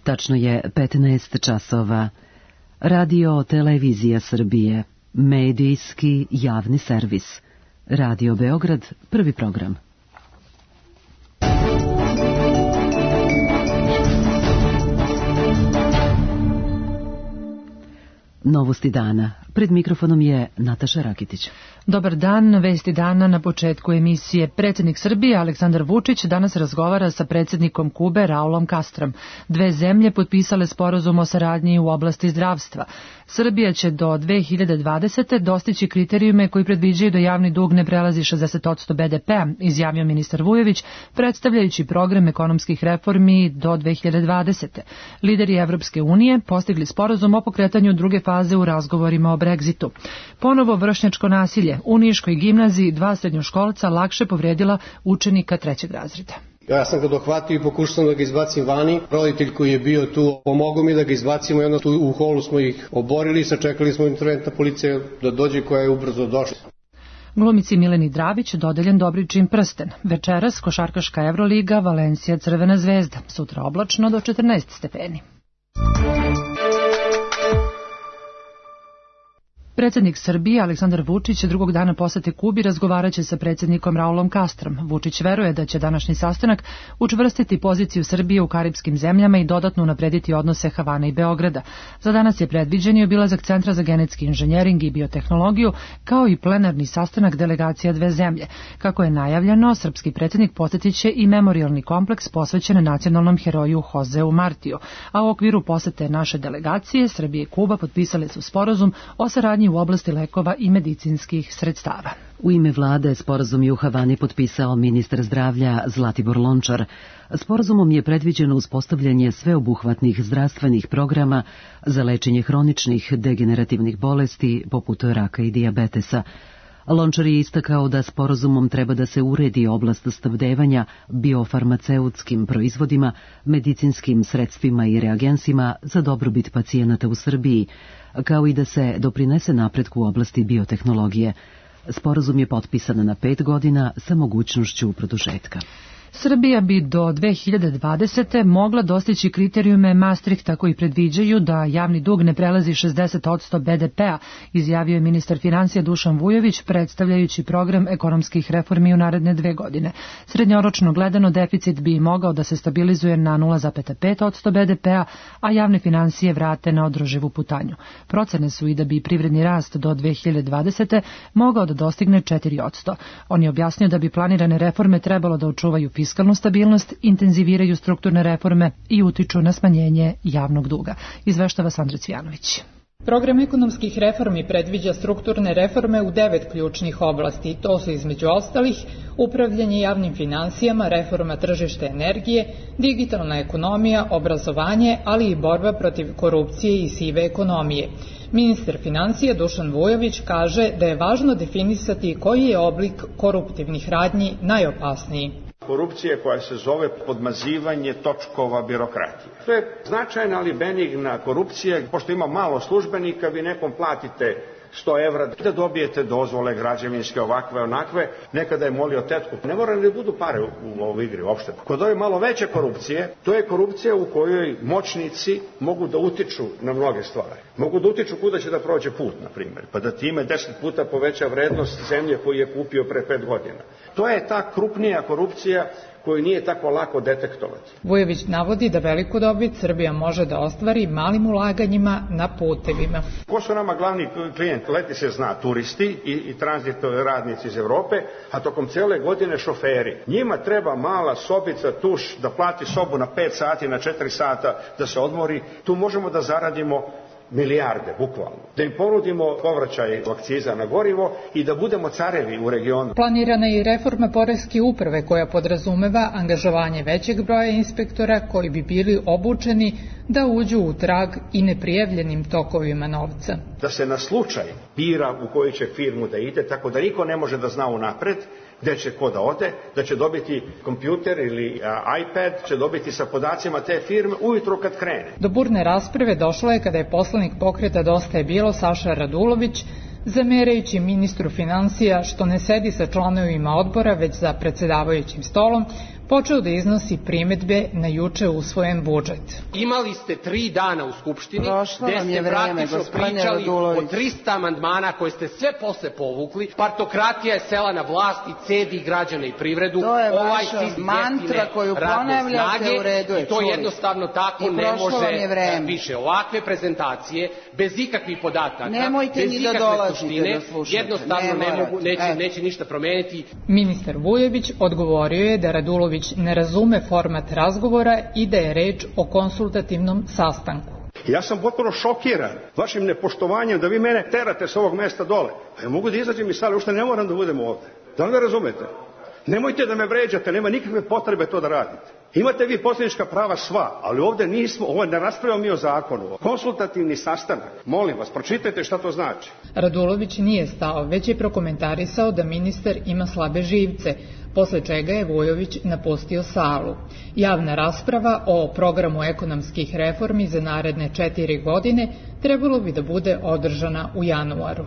Tačno je 15 časova. Radio Televizija Srbije, medijski javni servis. Radio Beograd, prvi program. Novosti dana. Pred mikrofonom je Nataša Rakitić. Dobar dan, vesti dana na početku emisije. Predsjednik Srbije Aleksandar Vučić danas razgovara sa predsjednikom Kube Raulom Castrom. Dve zemlje potpisale sporazum o saradnji u oblasti zdravstva. Srbija će do 2020. dostići kriterijume koji predviđaju da javni dug ne prelazi 60% BDP-a, izjavio ministar Vujović, predstavljajući program ekonomskih reformi do 2020. Lideri Evropske unije postigli sporazum o pokretanju druge faze u razgovorima o Brexitu. Ponovo vršnjačko nasilje. U Niškoj gimnaziji 2 srednjoškolca lakše povrijedila učenika 3. razreda. Ja sam ga dohvatio i pokušao da ga izbacim vani. Roditelj koji je bio tu pomogao mi da ga izbacimo i onda tu u holu smo ih oborili i sačekali smo interventna policija da dođe koja je ubrzo došla. Glumici Mileni Dravić dodeljen Dobričin prsten. Večeras košarkaška Evroliga, Valencija Crvena zvezda. Sutra oblačno do 14 stepeni. Predsjednik Srbije Aleksandar Vučić drugog dana posete Kubi razgovaraće sa predsjednikom Raulom Castrom. Vučić veruje da će današnji sastanak učvrstiti poziciju Srbije u karipskim zemljama i dodatno unaprediti odnose Havane i Beograda. Za danas je predviđen i obilazak Centra za genetski inženjering i biotehnologiju, kao i plenarni sastanak delegacija dve zemlje. Kako je najavljeno, srpski predsjednik posjetit će i memorijalni kompleks posvećen nacionalnom heroju Joseu Martiju. A u okviru posete naše delegacije, Srbije i Kuba potpisale su sporazum o saradnji u oblasti lekova i medicinskih sredstava. U ime vlade sporazum je u Havani potpisao ministar zdravlja Zlatibor Lončar. Sporazumom je predviđeno uspostavljanje sveobuhvatnih zdravstvenih programa za lečenje hroničnih degenerativnih bolesti poput raka i dijabetesa. Lončar je istakao da sporazumom treba da se uredi oblast snabdevanja biofarmaceutskim proizvodima, medicinskim sredstvima i reagensima za dobrobit pacijenata u Srbiji, kao i da se doprinese napretku u oblasti biotehnologije. Sporazum je potpisan na 5 godina sa mogućnošću produžetka. Srbija bi do 2020. mogla dostići kriterijume Maastrichta koji predviđaju da javni dug ne prelazi 60% BDP-a, izjavio je ministar financija Dušan Vujović, predstavljajući program ekonomskih reformi u naredne 2 godine. Srednjoročno gledano deficit bi mogao da se stabilizuje na 0,5% BDP-a, a javne financije vrate na održivu putanju. Procene su i da bi privredni rast do 2020. mogao da dostigne 4%. On je objasnio da bi planirane reforme trebalo da očuvaju fiskalnu stabilnost, intenziviraju strukturne reforme i utiču na smanjenje javnog duga. Izveštava Sandra Cvijanović. Program ekonomskih reformi predviđa strukturne reforme u 9 ključnih oblasti. To su između ostalih upravljanje javnim finansijama, reforma tržišta energije, digitalna ekonomija, obrazovanje, ali i borba protiv korupcije i sive ekonomije. Ministar financija Dušan Vujović kaže da je važno definisati koji je oblik koruptivnih radnji najopasniji. Korupcije koja se zove podmazivanje točkova birokratije. To je značajna ali benigna korupcija, pošto ima malo službenika, vi nekom platite 100 evra da dobijete dozvole građevinske, ovakve, onakve, nekada je molio tetku. Ne mora ni budu pare u ovoj igri uopšte. Kod ove malo veće korupcije, to je korupcija u kojoj moćnici mogu da utiču na mnoge stvari. Mogu da utiču kuda će da prođe put, na primjer, pa da time 10 puta poveća vrednost zemlje koju je kupio pre 5 godina. To je ta krupnija korupcija koju nije tako lako detektovati. Vujović navodi da veliku dobit Srbija može da ostvari malim ulaganjima na putevima. Ko su nama glavni klijenti? Leti se zna, turisti i tranzitni radnici iz Evrope, a tokom cijele godine šoferi. Njima treba mala sobica, tuš, da plati sobu na 5 sati, na 4 sata, da se odmori. Tu možemo da zaradimo milijarde, bukvalno. Da im ponudimo povraćaj akciza na gorivo i da budemo carevi u regionu. Planirana je i reforma poreske uprave koja podrazumeva angažovanje većeg broja inspektora koji bi bili obučeni da uđu u trag i neprijavljenim tokovima novca. Da se na slučaj bira u koju će firmu da ide, tako da niko ne može da zna unapred gde će ko da ode, da će dobiti kompjuter ili iPad, će dobiti sa podacima te firme ujutro kad krene. Do burne rasprave došlo je kada je poslanik pokreta Dosta je bilo Saša Radulović, zamerajući ministru financija što ne sedi sa članovima odbora već za predsjedavajućim stolom, počeo da iznosi primedbe na juče usvojen budžet. Imali ste 3 dana u Skupštini gde ste praktično pričali o 300 amandmana koje ste sve posle povukli. Partokratija je sela na vlast i cedi građane i privredu. To je vaša mantra koju ponavljate, u redu je. I to jednostavno tako ne može više. Ovakve prezentacije, bez ikakvih podataka, bez ikakve suštine, jednostavno neće ništa promeniti. Ministar Vujović odgovorio je da Radulović ne razume format razgovora i da je reč o konsultativnom sastanku. Ja sam potpuno šokiran vašim nepoštovanjem da vi mene terate s ovog mesta dole. Pa ja mogu da izađem iz sale, ušte ne moram da budem ovde. Da li me razumete? Nemojte da me vređate, nema nikakve potrebe to da radite. Imate vi poslanička prava sva, ali ovde nismo, ovo ne raspravljamo mi o zakonu. Konsultativni sastanak, molim vas, pročitajte šta to znači. Radulović nije stao, već je prokomentarisao da ministar ima slabe živce, posle čega je Vujović napustio salu. Javna rasprava o programu ekonomskih reformi za naredne 4 godine trebalo bi da bude održana u januaru.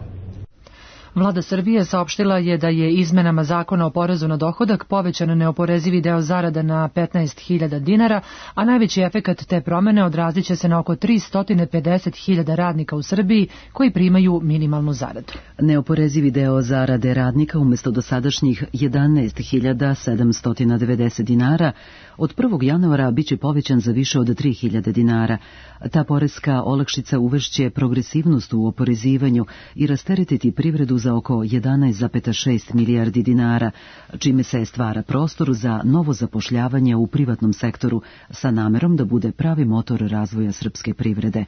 Vlada Srbije saopštila je da je izmenama zakona o porezu na dohodak povećan neoporezivi deo zarada na 15.000 dinara, a najveći efekat te promene odrazit će se na oko 350.000 radnika u Srbiji koji primaju minimalnu zaradu. Neoporezivi deo zarade radnika umjesto dosadašnjih 11.790 dinara od 1. januara biće povećan za više od 3.000 dinara. Ta poreska olakšica uvešće progresivnost u oporezivanju i rasteretiti privredu za oko 11,6 milijardi dinara, čime se stvara prostor za novo zapošljavanje u privatnom sektoru sa namerom da bude pravi motor razvoja srpske privrede.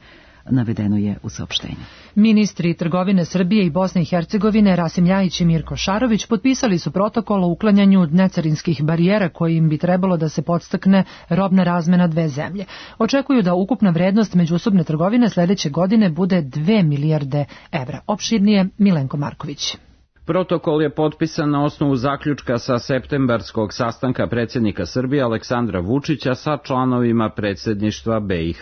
Navedeno je u saopštenju. Ministri trgovine Srbije i Bosne i Hercegovine Rasim Ljajić i Mirko Šarović potpisali su protokol o uklanjanju necarinskih barijera kojim bi trebalo da se podstakne robna razmena dve zemlje. Očekuju da ukupna vrednost međusobne trgovine sledeće godine bude 2 milijarde evra. Opširnije Milenko Marković. Protokol je potpisan na osnovu zaključka sa septembarskog sastanka predsjednika Srbije Aleksandra Vučića sa članovima predsjedništva BiH.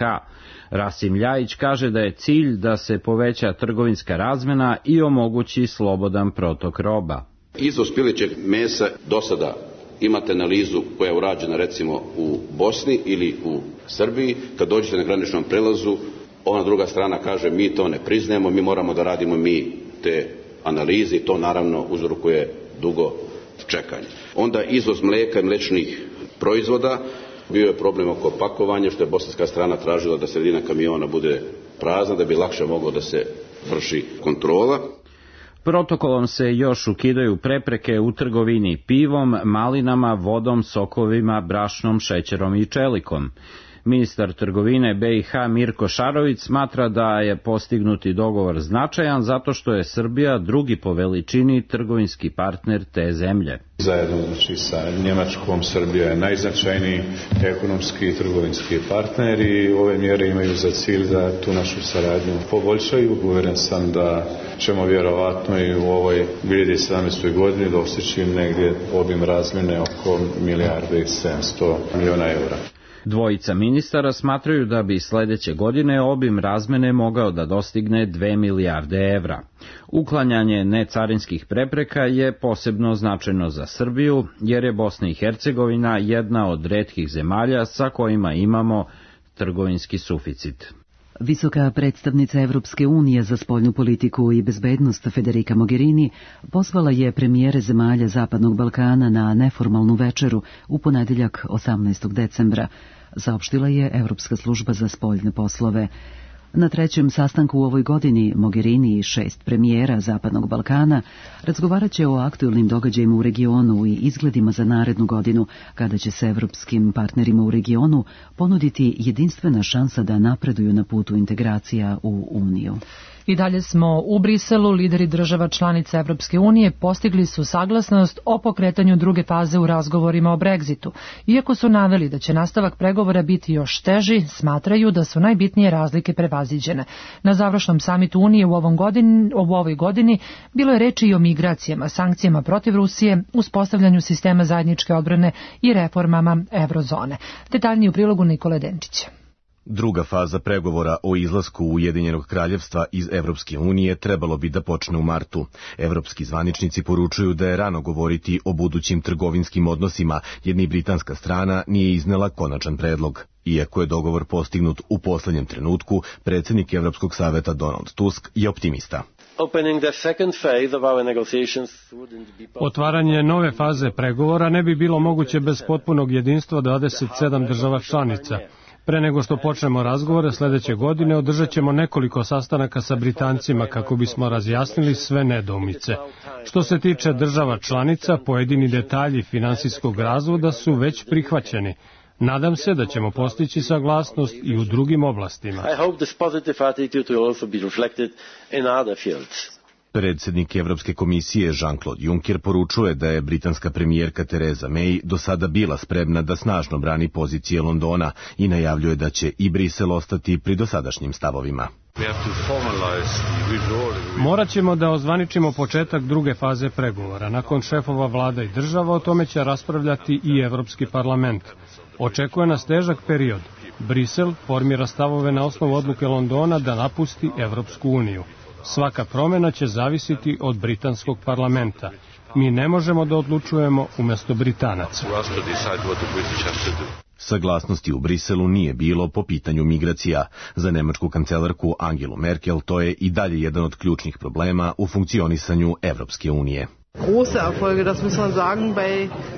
Rasim Ljajić kaže da je cilj da se poveća trgovinska razmena i omogući slobodan protok roba. Izvoz pilećeg mesa do sada imate analizu koja je urađena recimo u Bosni ili u Srbiji. Kad dođete na graničnom prelazu, ona druga strana kaže mi to ne priznajemo, mi moramo da radimo mi te analize i to naravno uzrokuje dugo čekanje. Onda izvoz mlijeka i mliječnih proizvoda, bio je problem oko pakovanja, što je bosanska strana tražila da sredina kamiona bude prazna, da bi lakše moglo da se vrši kontrola. Protokolom se još ukidaju prepreke u trgovini pivom, malinama, vodom, sokovima, brašnom, šećerom i čelikom. Ministar trgovine BiH Mirko Šarović smatra da je postignuti dogovor značajan zato što je Srbija drugi po veličini trgovinski partner te zemlje. Zajedno sa Njemačkom Srbija je najznačajniji ekonomski i trgovinski partner i ove mjere imaju za cilj da tu našu saradnju poboljšaju. Uveren sam da ćemo vjerovatno i u ovoj 2017. godini dostići negdje obim razmjene oko 1,7 milijardi evra. Dvojica ministara smatraju da bi sledeće godine obim razmene mogao da dostigne 2 milijarde evra. Uklanjanje necarinskih prepreka je posebno značajno za Srbiju, jer je Bosna i Hercegovina jedna od retkih zemalja sa kojima imamo trgovinski suficit. Visoka predstavnica Evropske unije za spoljnu politiku i bezbednost Federica Mogherini pozvala je premijere zemalja Zapadnog Balkana na neformalnu večeru u ponedeljak 18. decembra, saopštila je Evropska služba za spoljne poslove. Na trećem sastanku u ovoj godini Mogherini i 6 premijera Zapadnog Balkana razgovarat će o aktuelnim događajima u regionu i izgledima za narednu godinu, kada će se evropskim partnerima u regionu ponuditi jedinstvena šansa da napreduju na putu integracija u Uniju. I dalje smo u Briselu, lideri država članica Evropske unije postigli su saglasnost o pokretanju druge faze u razgovorima o Brexitu. Iako su naveli da će nastavak pregovora biti još teži, smatraju da su najbitnije razlike prevaziđene. Na završnom samitu Unije u ovoj godini bilo je reči i o migracijama, sankcijama protiv Rusije, uspostavljanju sistema zajedničke odbrane i reformama eurozone. Detaljnije u prilogu Nikole Denčića. Druga faza pregovora o izlasku Ujedinjenog kraljevstva iz Evropske unije trebalo bi da počne u martu. Evropski zvaničnici poručuju da je rano govoriti o budućim trgovinskim odnosima, jer ni britanska strana nije iznela konačan predlog. Iako je dogovor postignut u poslednjem trenutku, predsjednik Evropskog saveta Donald Tusk je optimista. Otvaranje nove faze pregovora ne bi bilo moguće bez potpunog jedinstva 27 država članica. Pre nego što počnemo razgovore sledeće godine, održat ćemo nekoliko sastanaka sa Britancima kako bismo razjasnili sve nedoumice. Što se tiče država članica, pojedini detalji finansijskog razvoda su već prihvaćeni. Nadam se da ćemo postići saglasnost i u drugim oblastima. Predsjednik Evropske komisije Jean-Claude Juncker poručuje da je britanska premijerka Theresa May do sada bila spremna da snažno brani pozicije Londona i najavljuje da će i Brisel ostati pri dosadašnjim stavovima. Morat ćemo da ozvaničimo početak druge faze pregovora. Nakon šefova vlada i država o tome će raspravljati i Evropski parlament. Očekuje nas težak period. Brisel formira stavove na osnovu odluke Londona da napusti Evropsku uniju. Svaka promjena će zavisiti od britanskog parlamenta. Mi ne možemo da odlučujemo umjesto Britanaca. Saglasnosti u Briselu nije bilo po pitanju migracija. Za nemačku kancelarku Angelu Merkel to je i dalje jedan od ključnih problema u funkcionisanju Evropske unije.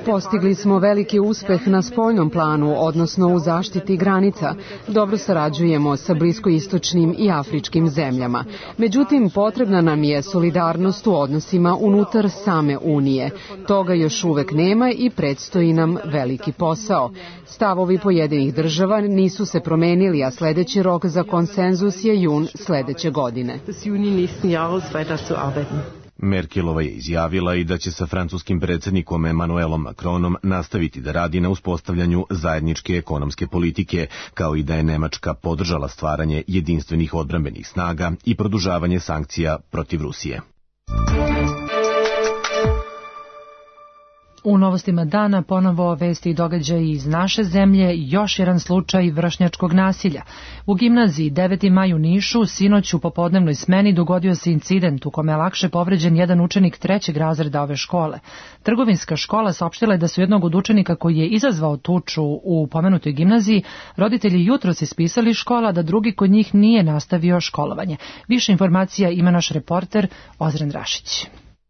Postigli smo veliki uspeh na spoljnom planu, odnosno u zaštiti granica. Dobro sarađujemo sa bliskoistočnim i afričkim zemljama. Međutim, potrebna nam je solidarnost u odnosima unutar same Unije. Toga još uvek nema i predstoji nam veliki posao. Stavovi pojedinih država nisu se promenili, a sledeći rok za konsenzus je jun sledeće godine. Merkelova je izjavila i da će sa francuskim predsjednikom Emmanuelom Macronom nastaviti da radi na uspostavljanju zajedničke ekonomske politike, kao i da je Nemačka podržala stvaranje jedinstvenih odbrambenih snaga i produžavanje sankcija protiv Rusije. U novostima dana ponovo vesti i događaji iz naše zemlje, još jedan slučaj vršnjačkog nasilja. U gimnaziji 9. maj u Nišu sinoć u popodnevnoj smeni dogodio se incident u kome je lakše povređen jedan učenik 3. razreda ove škole. Trgovinska škola saopštila je da su jednog od učenika koji je izazvao tuču u pomenutoj gimnaziji roditelji jutros ispisali škola, da drugi kod njih nije nastavio školovanje. Više informacija ima naš reporter Ozren Rašić.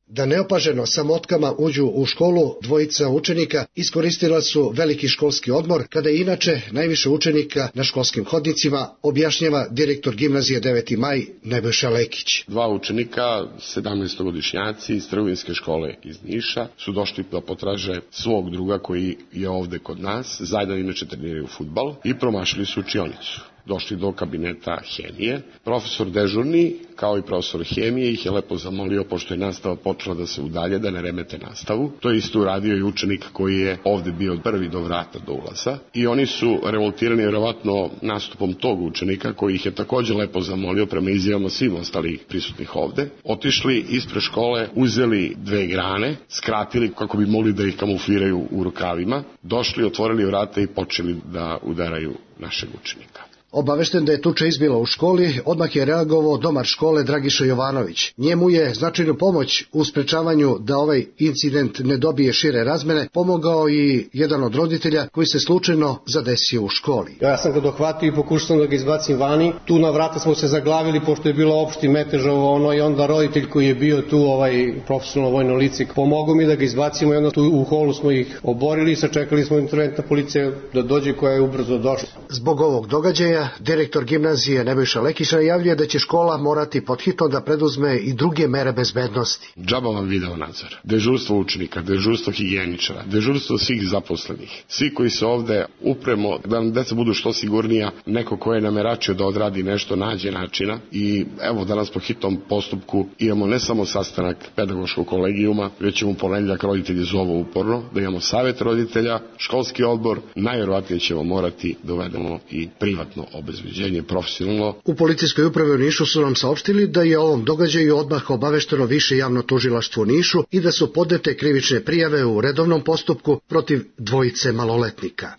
Da neopaženo sa motkama uđu u školu, dvojica učenika iskoristila su veliki školski odmor, kada je inače najviše učenika na školskim hodnicima, objašnjava direktor gimnazije 9. maj Nebojša Lekić. Dva učenika, 17-godišnjaci iz trgovinske škole iz Niša, su došli da potraže svog druga koji je ovde kod nas, zajedno inače treniraju fudbal i promašili su učionicu. Došli do kabineta hemije. Profesor dežurni, kao i profesor hemije, ih je lepo zamolio, pošto je nastava počela da se udalje, da ne remete nastavu. To je isto uradio i učenik koji je ovde bio prvi do vrata do ulaza. I oni su revoltirani vjerovatno nastupom tog učenika, koji ih je također lepo zamolio, prema izjavama svim ostalih prisutnih ovde. Otišli ispred škole, uzeli 2 grane, skratili kako bi mogli da ih kamufliraju u rukavima, došli, otvorili vrata i počeli da udaraju našeg učenika. Obavešten da je tuča izbila u školi, odmah je reagovao domar škole Dragiša Jovanović. Njemu je značajnu pomoć u sprečavanju da ovaj incident ne dobije šire razmene pomogao i jedan od roditelja koji se slučajno zadesio u školi. Ja sam ga dohvatio i pokušao da ga izbacim vani. Tu na vrata smo se zaglavili pošto je bilo opšti metež i onda roditelj koji je bio tu, profesionalno vojno lice, pomogao mi da ga izbacimo i onda tu u holu smo ih oborili i sačekali smo interventna policija da dođe, koja je ubrzo došla. Zbog ovog događaja direktor gimnazije Nebojša Lekić najavljuje da će škola morati podhitno da preduzme i druge mere bezbednosti. Džaba vam video nadzor, dežurstvo učenika, dežurstvo higijeničara, dežurstvo svih zaposlenih, svi koji se ovde upremo da nam deca budu što sigurnija, neko ko je nameračio da odradi nešto nađe načina i evo danas po hitnom postupku imamo ne samo sastanak pedagoškog kolegijuma, već ćemo u ponedeljak roditelji zovu uporno, da imamo savjet roditelja, školski odbor, najvjerovatnije ćemo morati da uvedemo i privatno obezbeđenje profesionalno. U policijskoj upravi u Nišu su nam saopštili da je o ovom događaju odmah obavešteno više javno tužilaštvo u Nišu i da su podnete krivične prijave u redovnom postupku protiv dvojice maloletnika.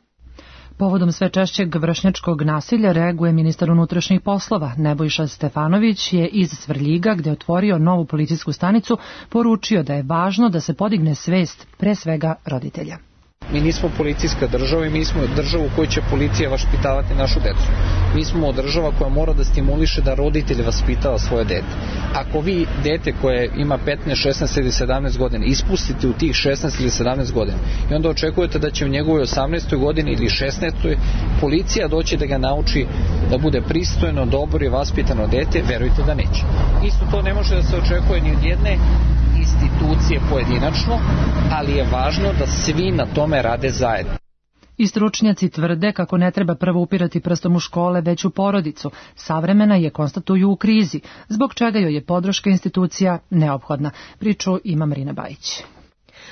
Povodom sve češćeg vršnjačkog nasilja reaguje ministar unutrašnjih poslova. Nebojša Stefanović je iz Svrljiga, gde je otvorio novu policijsku stanicu, poručio da je važno da se podigne svest pre svega roditelja. Mi nismo policijska država i mi smo država u kojoj će policija vaspitavati našu decu. Mi smo država koja mora da stimuliše da roditelj vaspitava svoje dete. Ako vi dete koje ima 15, 16 ili 17 godina ispustite u tih 16 ili 17 godina i onda očekujete da će u njegovoj 18. godini ili 16. policija doći da ga nauči da bude pristojno, dobro i vaspitano dete, verujte da neće. Isto to ne može da se očekuje ni od jedne institucije pojedinačno, ali je važno da svi na tome rade zajedno. I stručnjaci tvrde kako ne treba prvo upirati prstom u škole, već u porodicu. Savremena je, konstatuju, u krizi, zbog čega joj je podrška institucija neophodna. Priču ima Marina Bajić.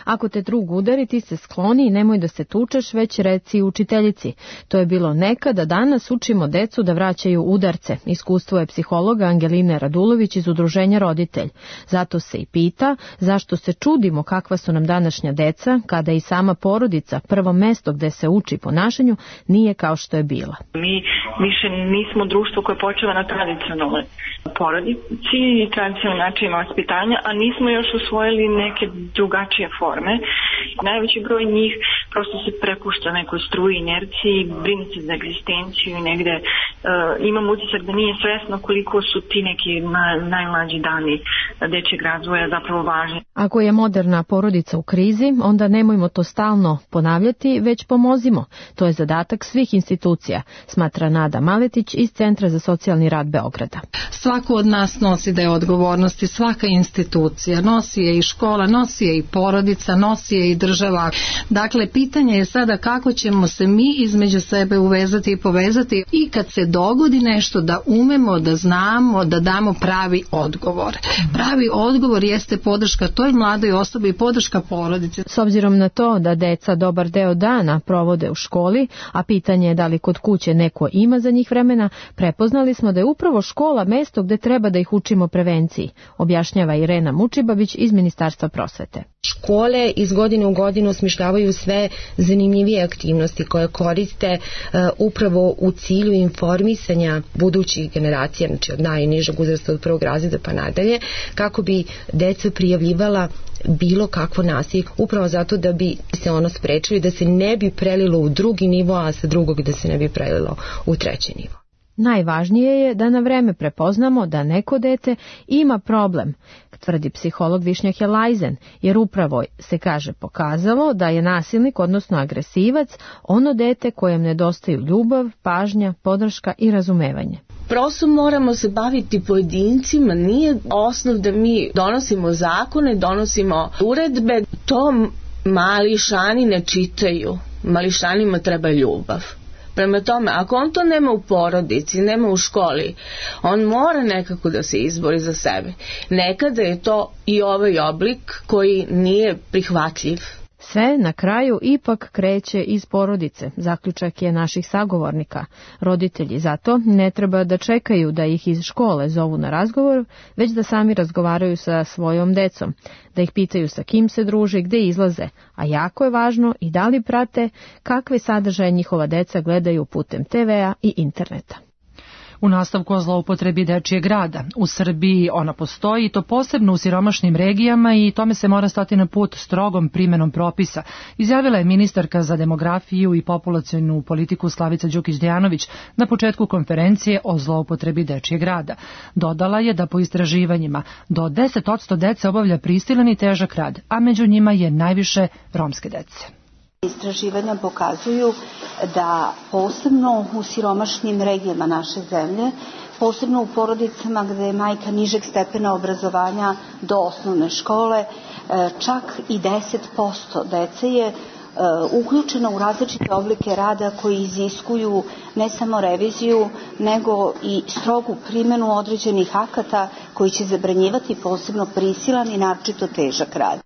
Ako te drug udari, ti se skloni i nemoj da se tučeš, već reci učiteljici. To je bilo nekada, danas učimo decu da vraćaju udarce. Iskustvo je psihologa Angeline Radulović iz Udruženja Roditelj. Zato se i pita zašto se čudimo kakva su nam današnja deca, kada i sama porodica, prvo mesto gde se uči ponašanju, nije kao što je bila. Mi više nismo društvo koje počeva na tradicionalnoj porodici i tradicionalnim načinima vaspitanja, a nismo još usvojili neke drugačije forme. Najveći broj njih prosto se prepušta nekoj struji inerciji, brine se za egzistenciju i negde imam utisak da nije svesno koliko su ti neki najmlađi dani dečjeg razvoja zapravo važni. Ako je moderna porodica u krizi, onda nemojmo to stalno ponavljati, već pomozimo. To je zadatak svih institucija, smatra Nada Maletić iz Centra za socijalni rad Beograda. Svako od nas nosi da je odgovornosti, svaka institucija, nosi je i škola, nosi je i porodica, nosi je i država. Dakle, pitanje je sada kako ćemo se mi između sebe uvezati i povezati i kad se dogodi nešto da umemo, da znamo, da damo pravi odgovor. Pravi odgovor jeste podrška toj mladoj osobi i podrška porodice. S obzirom na to da deca dobar deo dana provode u školi, a pitanje je da li kod kuće neko ima za njih vremena, prepoznali smo da je upravo škola mesto gde treba da ih učimo prevenciji, objašnjava Irena Mučibabić iz Ministarstva prosvete. Škole iz godine u godinu osmišljavaju sve zanimljivije aktivnosti koje koriste upravo u cilju informisanja budućih generacija, znači od najnižeg uzrasta od prvog razreda pa nadalje, kako bi deca prijavljivala bilo kakvo nasilje, upravo zato da bi se ono sprečili, da se ne bi prelilo u drugi nivo, a sa drugog da se ne bi prelilo u treći nivo. Najvažnije je da na vreme prepoznamo da neko dete ima problem, tvrdi psiholog Višnja Helajzen, jer upravo se, kaže, pokazalo da je nasilnik, odnosno agresivac, ono dete kojem nedostaju ljubav, pažnja, podrška i razumevanje. Prosto moramo se baviti pojedincima, nije osnov da mi donosimo zakone, donosimo uredbe, to mališani ne čitaju, mališanima treba ljubav. Prema tome, ako on to nema u porodici, nema u školi, on mora nekako da se izbori za sebe. Nekada je to i ovaj oblik koji nije prihvatljiv. Sve na kraju ipak kreće iz porodice, zaključak je naših sagovornika. Roditelji zato ne treba da čekaju da ih iz škole zovu na razgovor, već da sami razgovaraju sa svojom decom, da ih pitaju sa kim se druže, gde izlaze, a jako je važno i da li prate kakve sadržaje njihova deca gledaju putem TV-a i interneta. U nastavku o zloupotrebi dečijeg rada. U Srbiji ona postoji, i to posebno u siromašnim regijama, i tome se mora stati na put strogom primenom propisa, izjavila je ministarka za demografiju i populacionu politiku Slavica Đukić-Dejanović na početku konferencije o zloupotrebi dečijeg rada. Dodala je da po istraživanjima do 10% dece obavlja prisilan i težak rad, a među njima je najviše romske dece. Istraživanja pokazuju da posebno u siromašnim regijama naše zemlje, posebno u porodicama gde je majka nižeg stepena obrazovanja do osnovne škole, čak i 10% dece je uključeno u različite oblike rada koji iziskuju ne samo reviziju, nego i strogu primenu određenih akata koji će zabranjivati posebno prisilan i naročito težak rad.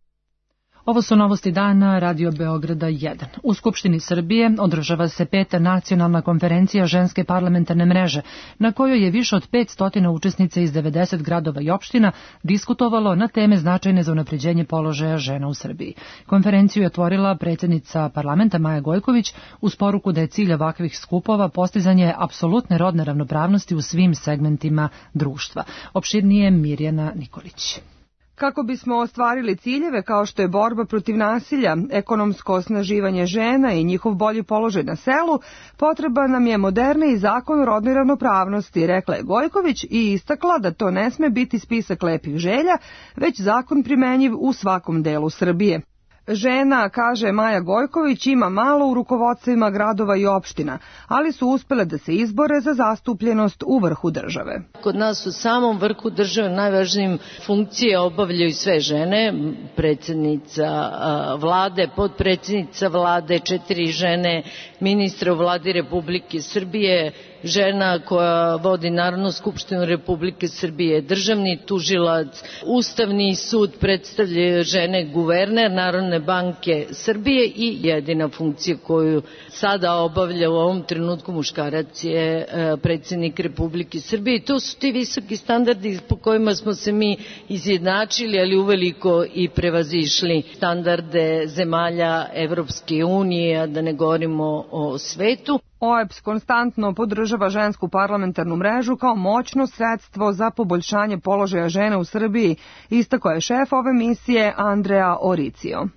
Ovo su novosti dana Radio Beograda 1. U Skupštini Srbije održava se 5. nacionalna konferencija ženske parlamentarne mreže, na kojoj je više od 500 učesnica iz 90 gradova i opština diskutovalo na teme značajne za unapređenje položaja žena u Srbiji. Konferenciju je otvorila predsjednica parlamenta Maja Gojković uz poruku da je cilj ovakvih skupova postizanje apsolutne rodne ravnopravnosti u svim segmentima društva. Opširnije Mirjana Nikolić. Kako bismo ostvarili ciljeve kao što je borba protiv nasilja, ekonomsko osnaživanje žena i njihov bolji položaj na selu, potreban nam je moderniji zakon o rodnoj ravnopravnosti, rekla je Gojković i istakla da to ne sme biti spisak lepih želja, već zakon primenjiv u svakom delu Srbije. Žena, kaže Maja Gojković, ima malo u rukovodstvima gradova i opština, ali su uspele da se izbore za zastupljenost u vrhu države. Kod nas u samom vrhu države najvažnijim funkcije obavljaju sve žene, predsjednica vlade, potpredsjednica vlade, 4 žene, ministra u vladi Republike Srbije, žena koja vodi Narodnu skupštinu Republike Srbije, državni tužilac, Ustavni sud predstavljaju žene, guverner Narodne banke Srbije i jedina funkcija koju sada obavlja u ovom trenutku muškarac je predsjednik Republike Srbije. I to su ti visoki standardi po kojima smo se mi izjednačili, ali uveliko i prevazišli standarde zemalja Evropske unije, a da ne govorimo o svetu. OEBS konstantno podržava žensku parlamentarnu mrežu kao moćno sredstvo za poboljšanje položaja žena u Srbiji, istakao je šef ove misije Andrea Oricio.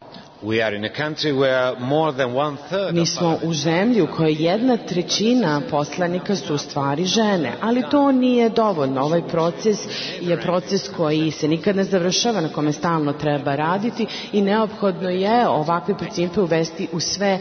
Mi smo u zemlji u kojoj 1/3 poslanika su u stvari žene, ali to nije dovoljno. Ovaj proces je proces koji se nikad ne završava, na kome stalno treba raditi i neophodno je ovakve principe uvesti u sve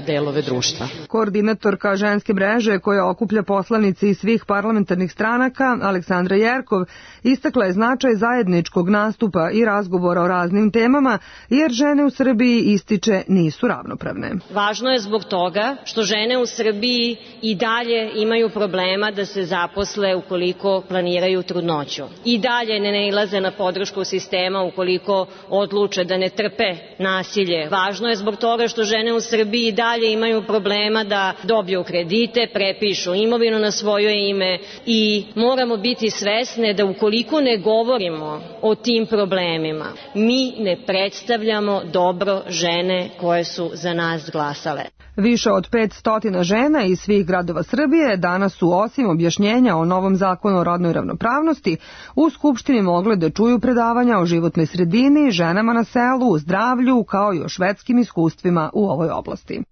delove društva. Koordinatorka ženske mreže koja okuplja poslanice iz svih parlamentarnih stranaka, Aleksandra Jerkov, istakla je značaj zajedničkog nastupa i razgovora o raznim temama, jer žene u Srbiji ističe nisu ravnopravne. Važno je zbog toga što žene u Srbiji i dalje imaju problema da se zaposle ukoliko planiraju trudnoću. I dalje ne nailaze na podršku sistema ukoliko odluče da ne trpe nasilje. Važno je zbog toga što žene u Srbiji i dalje imaju problema da dobiju kredite, prepišu imovinu na svoje ime i moramo biti svesne da ukoliko ne govorimo o tim problemima, mi ne predstavljamo dobro žene koje su za nas glasale. Više od 500 žena iz svih gradova Srbije danas su, osim objašnjenja o novom zakonu o rodnoj ravnopravnosti, u Skupštini mogle da čuju predavanja o životnoj sredini, ženama na selu, zdravlju, kao i o švedskim iskustvima u ovoj oblasti.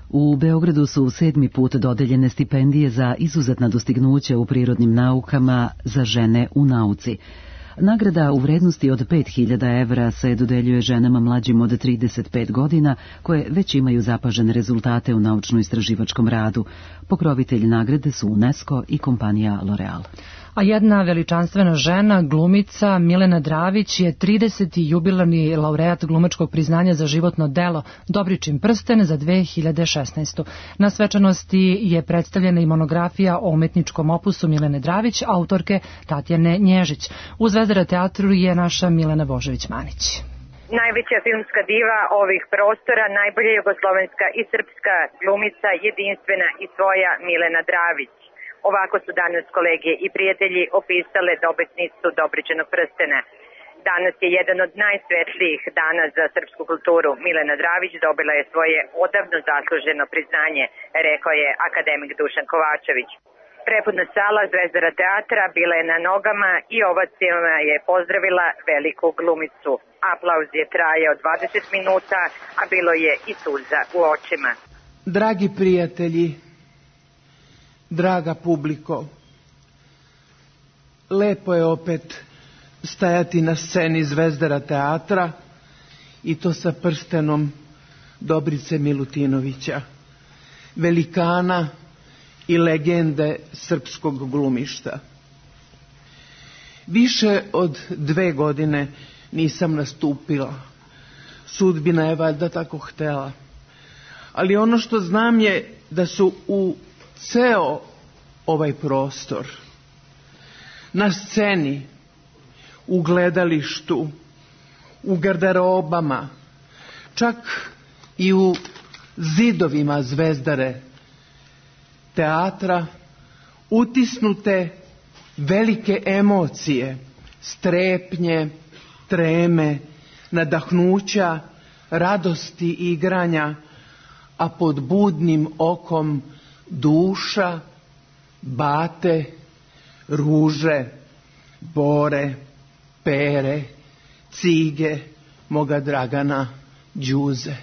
U Beogradu su 7. put dodeljene stipendije za izuzetna dostignuća u prirodnim naukama za žene u nauci. Nagrada u vrednosti od 5.000 evra se dodeljuje ženama mlađim od 35 godina koje već imaju zapažene rezultate u naučno-istraživačkom radu. Pokrovitelj nagrade su UNESCO i kompanija L'Oreal. A jedna veličanstvena žena, glumica Milena Dravić, je 30. jubilarni laureat glumačkog priznanja za životno delo Dobričin prsten za 2016. Na svečanosti je predstavljena i monografija o umetničkom opusu Milene Dravić, autorke Tatjane Nježić. U Zvezdara teatru je naša Milena Božović-Manić. Najveća filmska diva ovih prostora, najbolja jugoslovenska i srpska glumica, jedinstvena i svoja Milena Dravić. Ovako su danas kolege i prijatelji opisale dobitnicu Dobričinog prstena. Danas je jedan od najsvetlijih dana za srpsku kulturu. Milena Dravić dobila je svoje odavno zasluženo priznanje, rekao je akademik Dušan Kovačević. Prepodna sala Zvezdara teatra bila je na nogama i ovacijama je pozdravila veliku glumicu. Aplauz je trajao 20 minuta, a bilo je i suza u očima. Dragi prijatelji, draga publiko, lepo je opet stajati na sceni Zvezdara teatra i to sa prstenom Dobrice Milutinovića, velikana i legende srpskog glumišta. Više od 2 godine nisam nastupila. Sudbina je valjda tako htela. Ali ono što znam je da su u ceo ovaj prostor, na sceni, u gledalištu, u garderobama, čak i u zidovima Zvezdare teatra utisnute velike emocije, strepnje, treme, nadahnuća, radosti i igranja, a pod budnim okom duša, bate, ruže, bore, pere, cige, moga Dragana, Đuze.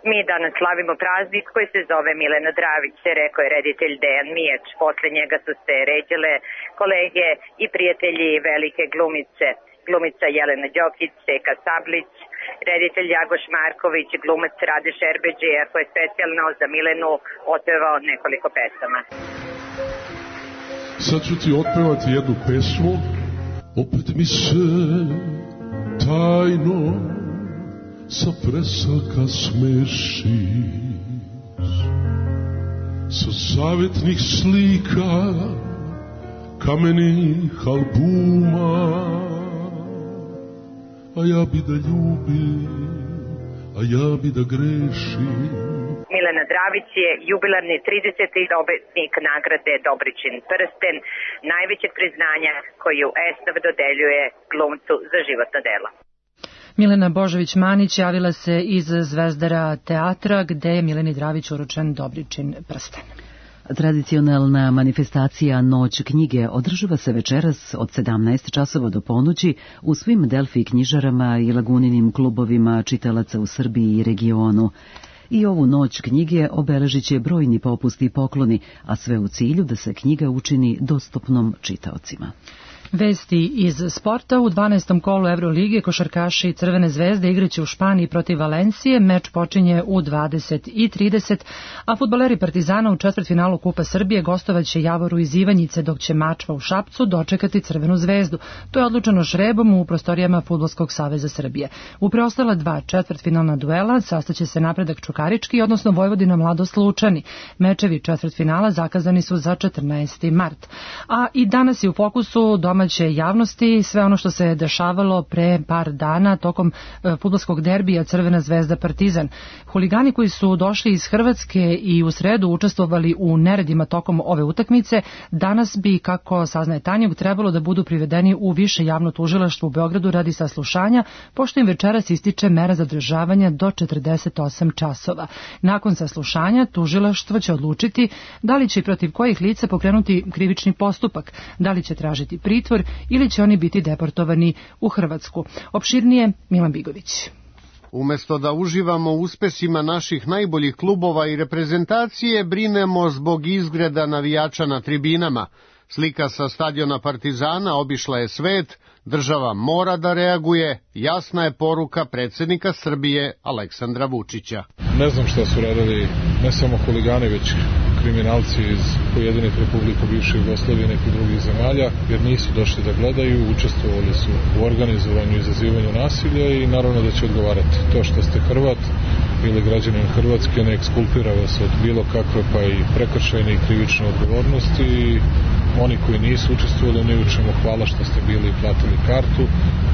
Mi danas slavimo praznik koji se zove Milena Dravić, rekao je reditelj Dejan Mijač. Posle njega su se ređale kolege i prijatelji velike glumice. Glumica Jelena Đokić, Seka Sablić, reditelj Jagoš Marković, glumac Rade Šerbeđija koji je specijalno za Milenu otpevao nekoliko pesama. Sad ću ti otpevati jednu pesmu. Opet mi se tajno sa presaka smešiš, sa zavetnih slika, kamenih albuma, a ja bi da ljubim, a ja bi da grešim. Milena Dravić je jubilarni 30. dobitnik nagrade Dobričin prsten, najvećeg priznanja koju ESNAV dodeljuje glumcu za životno delo. Milena Božović-Manić javila se iz Zvezdara teatra, gde je Mileni Dravić uručen Dobričin prsten. Tradicionalna manifestacija Noć knjige održava se večeras od 17 časova do ponoći u svim Delfi knjižarama i Laguninim klubovima čitalaca u Srbiji i regionu. I ovu Noć knjige obeležit će brojni popusti i pokloni, a sve u cilju da se knjiga učini dostupnom čitaocima. Vesti iz sporta. U 12. kolu Evrolige košarkaši Crvene zvezde igraće u Španiji protiv Valencije. Meč počinje u 20:30, a fudbaleri Partizana u četvrtfinalu Kupa Srbije gostovaće Javoru iz Ivanjice, dok će Mačva u Šapcu dočekati Crvenu zvezdu. To je odlučeno žrebom u prostorijama Fudbalskog saveza Srbije. U preostala dva četvrtfinalna duela sastaće se Napredak Čukarički, odnosno Vojvodina Mladost Lučani. Mečevi četvrtfinala zakazani su za 14. mart. A i danas je u fokusu domaće javnosti sve ono što se dešavalo pre par dana tokom fudbalskog derbija Crvena zvezda Partizan. Huligani koji su došli iz Hrvatske i u sredu učestvovali u neredima tokom ove utakmice, danas bi, kako saznaje Tanjug, trebalo da budu privedeni u više javno tužilaštvo u Beogradu radi saslušanja, pošto im večeras ističe mera zadržavanja do 48 časova. Nakon saslušanja tužilaštvo će odlučiti da li će i protiv kojih lica pokrenuti krivični postupak, da li će tražiti pritvor ili će oni biti deportovani u Hrvatsku. Opširnije Milan Bigović. Umesto da uživamo u uspesima naših najboljih klubova i reprezentacije, brinemo zbog izgreda navijača na tribinama. Slika sa stadiona Partizana obišla je svet, država mora da reaguje, jasna je poruka predsjednika Srbije Aleksandra Vučića. Ne znam šta su radili ne samo huligani, već kriminalci iz pojedinih republika bivše Jugoslavije i nekih drugih zemalja, jer nisu došli da gledaju, učestvovali su u organizovanju i izazivanju nasilja i naravno da će odgovarati. To što ste Hrvat ili građanin Hrvatske ne ekskulpira vas od bilo kakve pa i prekršajne i krivične odgovornosti i oni koji nisu učestvovali u ničemu, hvala što ste bili i platili kartu,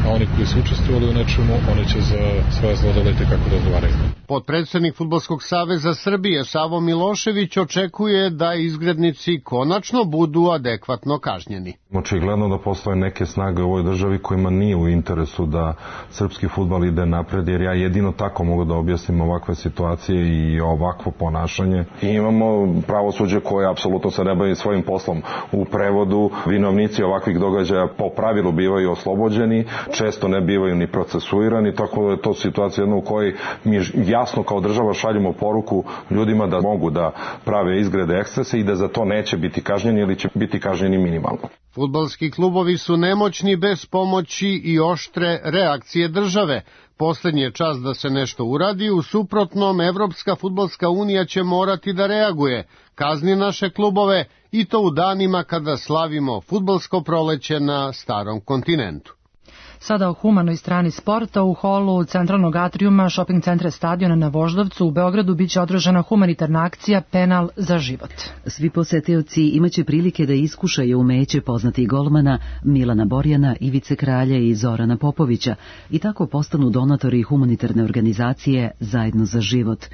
a oni koji su učestvovali u nečemu, oni će za svoje zlodele kako da odgovaraju. Potpredsednik Fudbalskog saveza Srbije Savo Milošević očekuje da izgrednici konačno budu adekvatno kažnjeni. Očigledno da postoje neke snage u ovoj državi kojima nije u interesu da srpski fudbal ide napred, jer ja jedino tako mogu da objasnim ovakve situacije i ovakvo ponašanje. I imamo pravosuđe koje apsolutno se ne bavi svojim poslom. U prevodu vinovnici ovakvih događaja po pravilu bivaju oslobođeni, često ne bivaju ni procesuirani, tako da je to situacija jedna u kojoj mi jasno kao država šaljemo poruku ljudima da mogu da prave izgrede ekscese i da za to neće biti kažnjeni ili će biti kažnjeni minimalno. Fudbalski klubovi su nemoćni bez pomoći i oštre reakcije države. Poslednji je čas da se nešto uradi, u suprotnom Evropska fudbalska unija će morati da reaguje, kazni naše klubove i to u danima kada slavimo fudbalsko proleće na starom kontinentu. Sada o humanoj strani sporta. U holu centralnog atrijuma shopping centra Stadiona na Voždovcu u Beogradu biće održana humanitarna akcija Penal za život. Svi posetioci imaće prilike da iskušaju umeće poznatih golmana Milana Borjana, Ivice Kralja i Zorana Popovića i tako postanu donatori humanitarne organizacije Zajedno za život.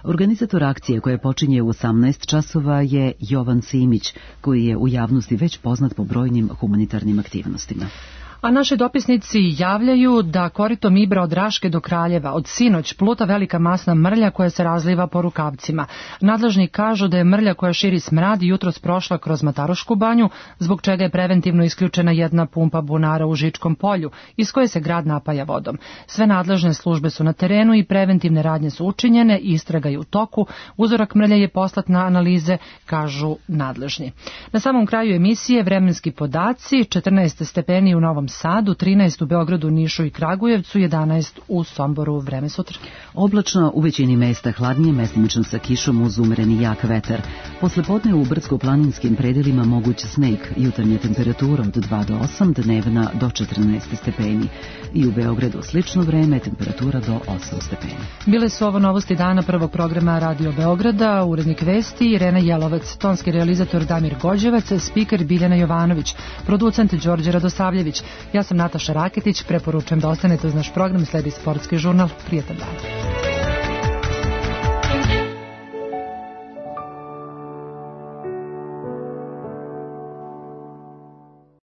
Organizator akcije koja počinje u 18 časova je Jovan Simić, koji je u javnosti već poznat po brojnim humanitarnim aktivnostima. A naši dopisnici javljaju da koritom Ibra od Raške do Kraljeva od sinoć pluta velika masna mrlja koja se razliva po rukavcima. Nadležni kažu da je mrlja koja širi smrad jutros prošla kroz Matarušku banju, zbog čega je preventivno isključena jedna pumpa bunara u Žičkom polju, iz koje se grad napaja vodom. Sve nadležne službe su na terenu i preventivne radnje su učinjene, istraga je u toku, uzorak mrlja je poslat na analize, kažu nadležni. Na samom kraju emisije vremenski podaci, 14 stepeni u Novom Sadu, 13 u Beogradu, Nišu i Kragujevcu, 11 u Somboru. Vreme sutra. Oblačno, u većini mesta hladnije, mestimično sa kišom uz umereni jak vetar. Poslepodne u brdsko-planinskim predelima moguć sneg, jutarnja temperatura od 2 do 8, dnevna do 14 stepeni. I u Beogradu slično vreme, temperatura do 8 stepeni. Bile su ovo novosti dana prvog programa Radio Beograda, urednik vesti Irena Jelovac, tonski realizator Damir Gođevac, spiker Biljana Jovanović, producent Đorđe Radosavljević. Ja sam Nataša Raketić, preporučujem da ostanete uz naš program, sledi sportski žurnal. Prijetan dan.